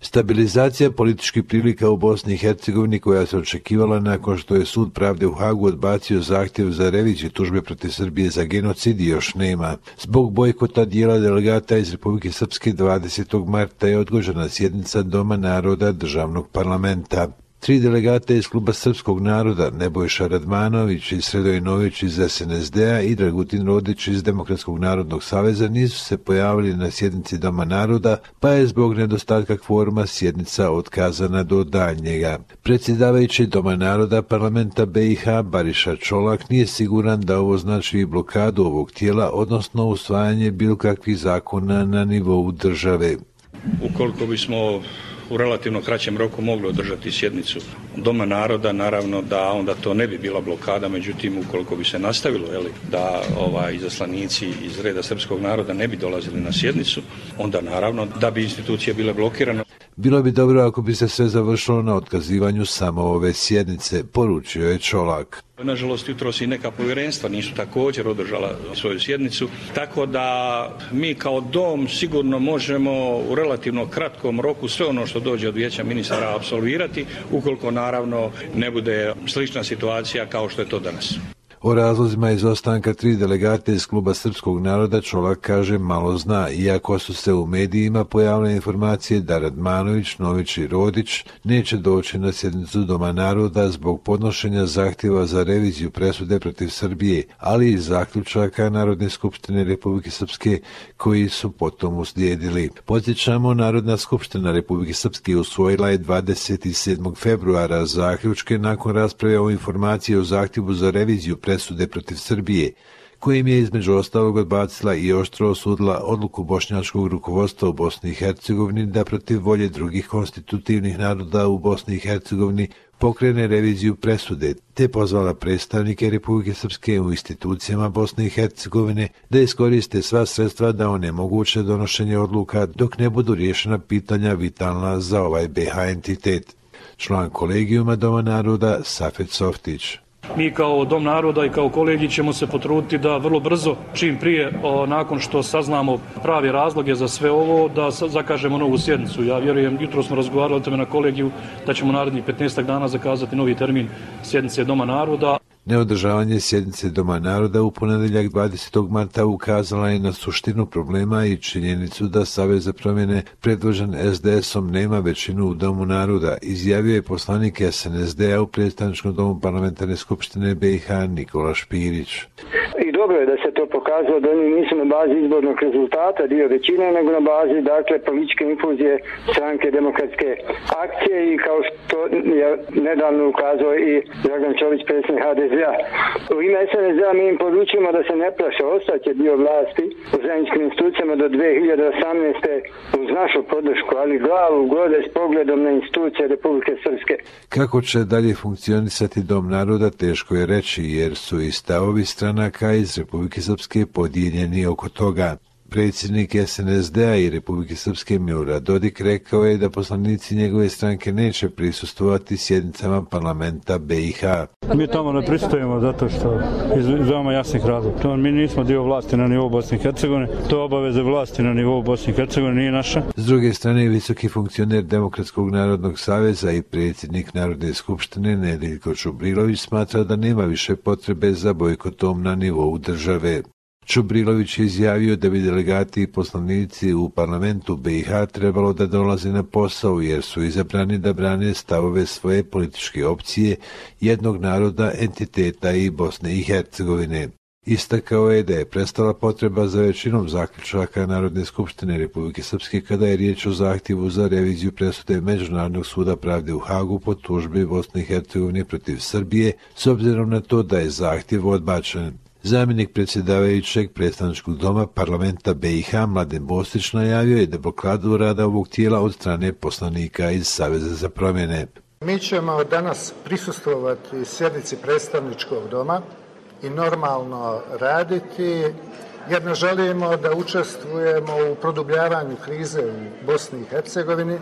Stabilizacija političkih prilika u Bosni i Hercegovini, koja se očekivala nakon što je Sud pravde u Hagu odbacio zahtjev za reviziju tužbe protiv Srbije za genocid, još nema. Zbog bojkota dijela delegata iz Republike Srpske 20. marta je odgođena sjednica Doma naroda državnog parlamenta. 3 delegata iz Kluba srpskog naroda, Nebojša Radmanović i Sredoj Nović iz SNSD-a i Dragutin Rodić iz Demokratskog narodnog saveza nisu se pojavili na sjednici Doma naroda, pa je zbog nedostatka kvoruma sjednica otkazana do daljnjega. Predsjedavajući Doma naroda parlamenta BiH Bariša Čolak nije siguran da ovo znači blokadu ovog tijela, odnosno usvajanje bilo kakvih zakona na nivou države. Ukoliko bismo u relativno kraćem roku mogli održati sjednicu Doma naroda, naravno da onda to ne bi bila blokada, međutim ukoliko bi se nastavilo da izaslanici iz reda srpskog naroda ne bi dolazili na sjednicu, onda naravno da bi institucije bile blokirane. Bilo bi dobro ako bi se sve završilo na otkazivanju samo ove sjednice, poručio je Čolak. Nažalost, jutros i neka povjerenstva nisu također održala svoju sjednicu, tako da mi kao dom sigurno možemo u relativno kratkom roku sve ono što dođe od vijeća ministara apsolvirati, ukoliko naravno ne bude slična situacija kao što je to danas. O razlozima izostanka 3 delegate iz Kluba srpskog naroda Čolak kaže malo zna, iako su se u medijima pojavile informacije da Radmanović, Nović i Rodić neće doći na sjednicu Doma naroda zbog podnošenja zahtjeva za reviziju presude protiv Srbije, ali i zaključaka Narodne skupštine Republike Srpske koji su potom uslijedili. Podsjećamo, Narodna skupština Republike Srpske usvojila je 27. februara zaključke nakon rasprave o informaciji o zahtjevu za reviziju presude protiv Srbije, kojim je između ostalog odbacila i oštro osudila odluku bošnjačkog rukovodstva u Bosni i Hercegovini da protiv volje drugih konstitutivnih naroda u Bosni i Hercegovini pokrene reviziju presude, te pozvala predstavnike Republike Srpske u institucijama Bosne i Hercegovine da iskoriste sva sredstva da onemoguće donošenje odluka dok ne budu riješena pitanja vitalna za ovaj BiH entitet. Član kolegijuma Doma naroda Safet Softić. Mi kao Dom naroda i kao kolegij ćemo se potruditi da vrlo brzo, čim prije, nakon što saznamo pravi razloge za sve ovo, da zakažemo novu sjednicu. Ja vjerujem, jutro smo razgovarali o tome na kolegiju, da ćemo narednih 15 dana zakazati novi termin sjednice Doma naroda. Neodržavanje sjednice Doma naroda u ponedjeljak 20. marta ukazala je na suštinu problema i činjenicu da Savez za promjene predvođen SDS-om nema većinu u Domu naroda, izjavio je poslanik SNSD-a u predstavničkom domu parlamentarne skupštine BiH Nikola Špirić. I dobro je da se to pokazalo da oni nisu na bazi izbornog rezultata dio većine, nego na bazi političke infuzije stranke Demokratske akcije i kao što je nedavno ukazao i Dragan Čović, predsjednik HDZ-a. U ime SNSD-a mi im poručujemo da se ne plaše, ostaće dio vlasti u zajedničkim institucijama do 2018. uz našu podršku, ali glavu gode s pogledom na institucije Republike Srpske. Kako će dalje funkcionisati Dom naroda teško je reći, jer su i stavovi stranaka iz Republike Srpske podijeljeni oko toga. Predsjednik SNSD-a i Republike Srpske Milorad Dodik rekao je da poslanici njegove stranke neće prisustvovati sjednicama parlamenta BiH. Mi tamo ne pristajemo zato što iz veoma jasnih razloga. Mi nismo dio vlasti na nivou Bosne i Hercegovine, to je obaveze vlasti na nivou Bosne i Hercegovine, nije naša. S druge strane, visoki funkcioner Demokratskog narodnog saveza i predsjednik Narodne skupštine Nedeljko Čubrilović smatra da nema više potrebe za bojkotom na nivou države. Čubrilović je izjavio da bi delegati i poslanici u parlamentu BiH trebalo da dolaze na posao jer su izabrani da brane stavove svoje političke opcije, jednog naroda, entiteta i Bosne i Hercegovine. Istakao je da je prestala potreba za većinom zaključaka Narodne skupštine Republike Srpske kada je riječ o zahtjevu za reviziju presude Međunarodnog suda pravde u Hagu po tužbi Bosne i Hercegovine protiv Srbije, s obzirom na to da je zahtjev odbačen. Zamjenik predsjedavajućeg predstavničkog doma parlamenta BiH Mladen Bostić najavio je da blokadu rada ovog tijela od strane poslanika iz Saveza za promjene. Mi ćemo danas prisustvovati sjednici predstavničkog doma i normalno raditi, jer ne želimo da učestvujemo u produbljavanju krize u Bosni i Hercegovini.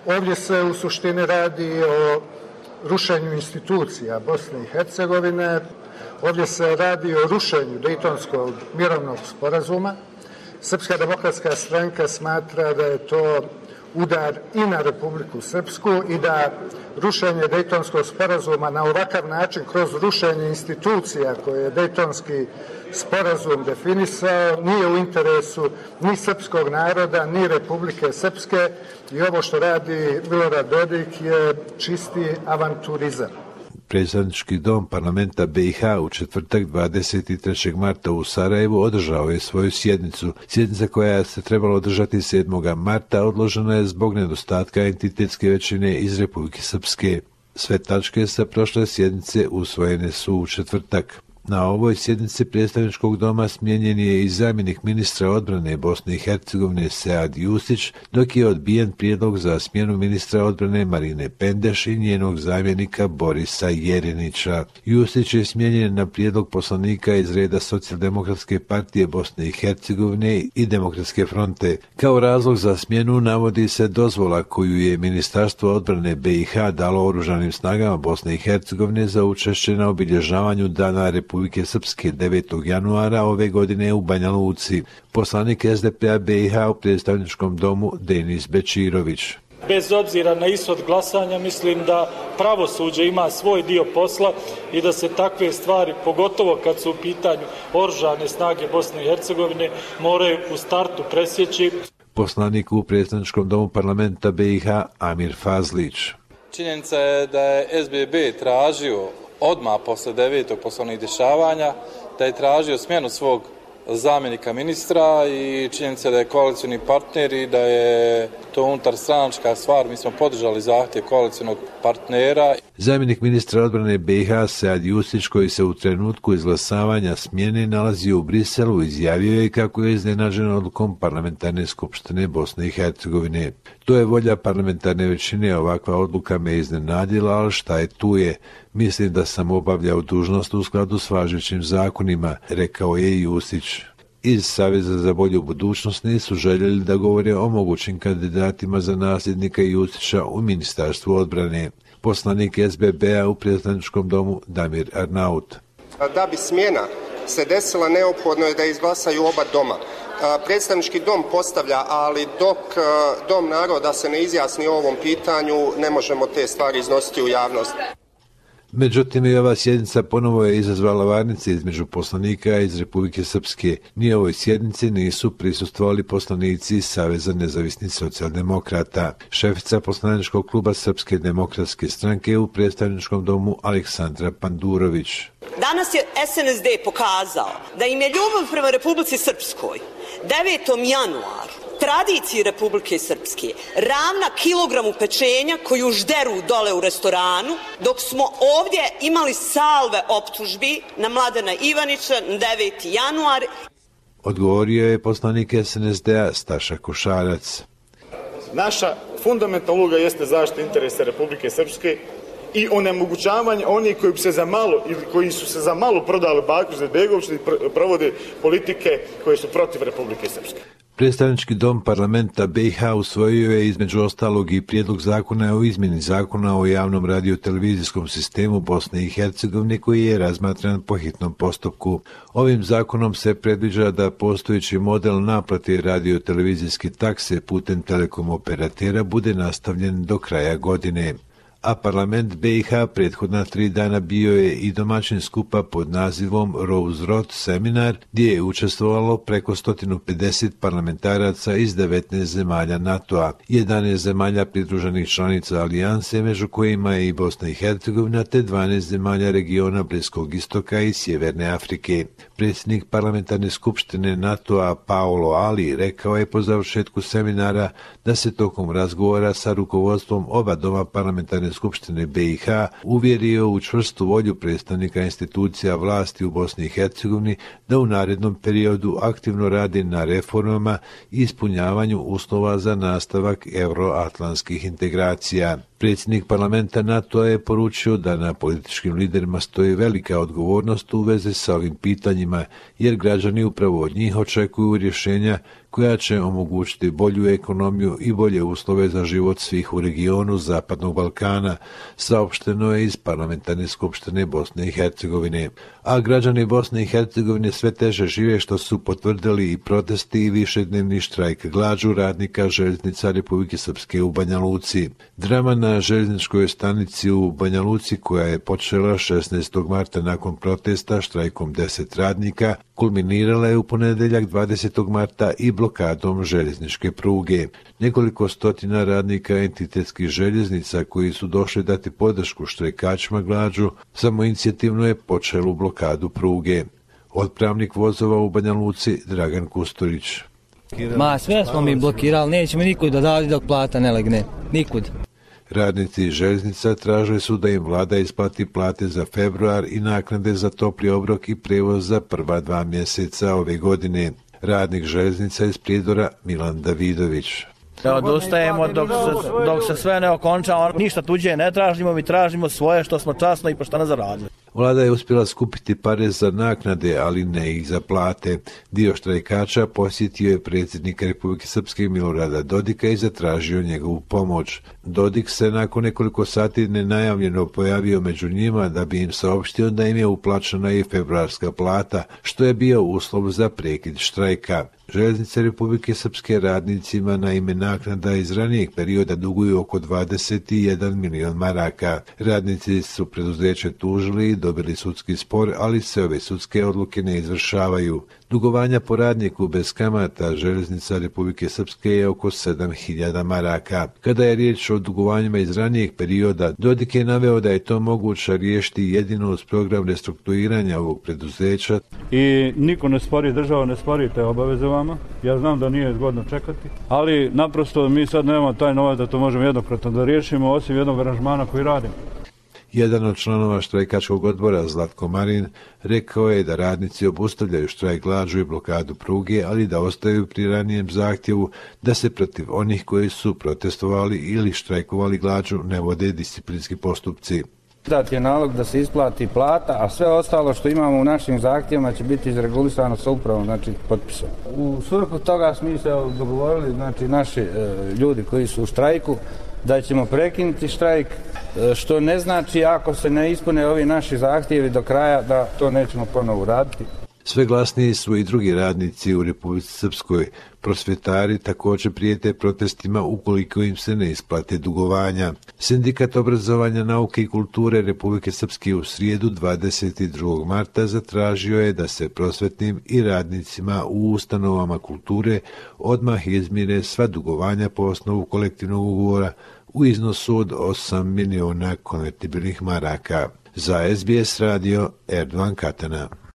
Ovdje se u suštini radi o rušenju institucija Bosne i Hercegovine. Ovdje se radi o rušenju Dejtonskog mirovnog sporazuma. Srpska demokratska stranka smatra da je to udar i na Republiku Srpsku i da rušenje Dejtonskog sporazuma na ovakav način kroz rušenje institucija koje je Dejtonski sporazum definisao nije u interesu ni srpskog naroda, ni Republike Srpske i ovo što radi Milorad Dodik je čisti avanturizam. Predstavnički dom parlamenta BiH u četvrtak 23. marta u Sarajevu održao je svoju sjednicu. Sjednica koja se trebala održati 7. marta odložena je zbog nedostatka entitetske većine iz Republike Srpske. Sve tačke sa prošle sjednice usvojene su u četvrtak. Na ovoj sjednici predstavničkog doma smijenjen je i zamjenik ministra odbrane Bosne i Hercegovine Sead Jusić, dok je odbijen prijedlog za smjenu ministra odbrane Marine Pendeš i njenog zamjenika Borisa Jerinića. Jusić je smijenjen na prijedlog poslanika iz reda Socijaldemokratske partije Bosne i Hercegovine i Demokratske fronte. Kao razlog za smjenu navodi se dozvola koju je Ministarstvo odbrane BiH dalo oružanim snagama Bosne i Hercegovine za učešće na obilježavanju Dana Republike Srpske 9. januara ove godine u Banja Luci. Poslanik SDP-a BiH u predstavničkom domu Denis Bečirović. Bez obzira na ishod glasanja, mislim da pravosuđe ima svoj dio posla i da se takve stvari, pogotovo kad su u pitanju oružane snage Bosne i Hercegovine, moraju u startu presjeći. Poslanik u predstavničkom domu parlamenta BiH Amir Fazlić. Činjenica je da je SBB tražio odmah posle 9. poslovnih dešavanja, da je tražio smjenu svog zamjenika ministra i činjenica da je koalicioni partner i da je to unutar stranačka stvar. Mi smo podržali zahtjev koalicionog partnera. Zamjenik ministra odbrane BiH Sead Jusić, koji se u trenutku izglasavanja smjene nalazi u Briselu, izjavio je kako je iznenađen odlukom parlamentarne skupštine Bosne i Hercegovine. To je volja parlamentarne većine, ovakva odluka me iznenadila, ali šta je tu je. Mislim da sam obavljao dužnost u skladu s važećim zakonima, rekao je Jusić. Iz Saveza za bolju budućnost nisu željeli da govore o mogućim kandidatima za nasljednika Jusića u Ministarstvu odbrane. Poslanik SBB-a u predstavničkom domu Damir Arnaut. Da bi smjena se desila, neophodno je da izglasaju oba doma. Predstavnički dom postavlja, ali dok dom naroda se ne izjasni o ovom pitanju, ne možemo te stvari iznositi u javnost. Međutim, i ova sjednica ponovo je izazvala varnice između poslanika iz Republike Srpske. Ni ovoj sjednici nisu prisustvovali poslanici iz Saveza nezavisnih socijaldemokrata. Šefica poslaničkog kluba Srpske demokratske stranke u predstavničkom domu Aleksandra Pandurović. Danas je SNSD pokazao da im je ljubav prema Republici Srpskoj 9. januaru, tradiciji Republike Srpske, ravna kilogramu pečenja koju žderu dole u restoranu, dok smo ovdje imali salve optužbi na Mladena Ivanića na 9. januar. Odgovorio je poslanik SNSD-a Staša Košarac. Naša fundamentalna uloga jeste zaštita interesa Republike Srpske i onemogućavanje onih koji bi se za malo ili koji su se za malo prodali Baku Izetbegoviću i provode politike koje su protiv Republike Srpske. Predstavnički dom parlamenta BiH usvojio je između ostalog i prijedlog zakona o izmjeni zakona o javnom radiotelevizijskom sistemu Bosne i Hercegovine koji je razmatran po hitnom postupku. Ovim zakonom se predviđa da postojeći model naplate radiotelevizijske takse putem telekom operatera bude nastavljen do kraja godine. A parlament BiH prethodna 3 dana bio je i domaćin skupa pod nazivom Rose Road seminar, gdje je učestvovalo preko 150 parlamentaraca iz 19 zemalja NATO-a, 11 zemalja pridruženih članica alijanse, među kojima je i Bosna i Hercegovina, te 12 zemalja regiona Bliskog istoka i Sjeverne Afrike. Predsjednik parlamentarne skupštine NATO-a Paolo Ali rekao je po završetku seminara da se tokom razgovora sa rukovodstvom oba doma parlamentarne skupštine BiH uvjerio u čvrstu volju predstavnika institucija vlasti u Bosni i Hercegovini da u narednom periodu aktivno radi na reformama i ispunjavanju uslova za nastavak euroatlantskih integracija. Predsjednik parlamenta NATO je poručio da na političkim liderima stoji velika odgovornost u vezi sa ovim pitanjima, jer građani upravo od njih očekuju rješenja koja će omogućiti bolju ekonomiju i bolje uslove za život svih u regionu Zapadnog Balkana, saopšteno je iz Parlamentarne skupštine Bosne i Hercegovine. A građani Bosne i Hercegovine sve teže žive, što su potvrdili i protesti i višednevni štrajk glađu radnika željeznica Republike Srpske u Banja Luci. Drama na željezničkoj stanici u Banja Luci, koja je počela 16. marta nakon protesta štrajkom 10 radnika, kulminirala je u ponedeljak 20. marta i blokadom željezničke pruge. Nekoliko stotina radnika entitetskih željeznica koji su došli dati podršku štrajkačima glađu samoinicijativno je počelu blokadu pruge. Otpravnik vozova u Banja Luci Dragan Kusturić. Sve smo mi blokirali, nećemo nikud da dali dok plata ne legne. Nikud. Radnici željeznica tražili su da im vlada isplati plate za februar i naknade za topli obrok i prevoz za prva 2 mjeseca ove godine. Radnik željeznica iz Prijedora Milan Davidović. Odustajemo dok se sve ne okonča, ništa tuđe ne tražimo, mi tražimo svoje što smo časno i pošteno zaradili. Vlada je uspjela skupiti pare za naknade, ali ne i za plate. Dio štrajkača posjetio je predsjednika Republike Srpske Milorada Dodika i zatražio njegovu pomoć. Dodik se nakon nekoliko sati nenajavljeno pojavio među njima da bi im saopštio da im je uplaćena i februarska plata, što je bio uslov za prekid štrajka. Željeznice Republike Srpske radnicima na ime naknada iz ranijeg perioda duguju oko 21 milion maraka. Radnici su preduzeće tužili i dobili sudski spor, ali se ove sudske odluke ne izvršavaju. Dugovanja po radniku bez kamata Željeznica Republike Srpske je oko 7.000 maraka. Kada je riječ o dugovanjima iz ranijeg perioda, Dodik je naveo da je to moguće riješiti jedino uz program restrukturiranja ovog preduzeća. I niko ne spori, država ne spori te obaveze vama. Ja znam da nije zgodno čekati, ali naprosto mi sad nemamo taj novac da to možemo jednokratno da riješimo, osim jednog aranžmana koji radimo. Jedan od članova štrajkačkog odbora, Zlatko Marin, rekao je da radnici obustavljaju štrajk glađu i blokadu pruge, ali da ostaju pri ranijem zahtjevu da se protiv onih koji su protestovali ili štrajkovali glađu ne vode disciplinski postupci. Dat je nalog da se isplati plata, a sve ostalo što imamo u našim zahtjevima će biti izregulisano sa upravom, znači potpisom. U svrhu toga smo se dogovorili, znači naši ljudi koji su u štrajku, da ćemo prekinuti štrajk, što ne znači ako se ne ispune ovi naši zahtjevi do kraja da to nećemo ponovo uraditi. Sve glasniji su i drugi radnici u Republici Srpskoj. Prosvjetari također prijete protestima ukoliko im se ne isplate dugovanja. Sindikat obrazovanja, nauke i kulture Republike Srpske u srijedu 22. marta zatražio je da se prosvetnim i radnicima u ustanovama kulture odmah izmire sva dugovanja po osnovu kolektivnog ugovora u iznosu od 8 miliona konvertibilnih maraka. Za SBS radio Erdogan Katana.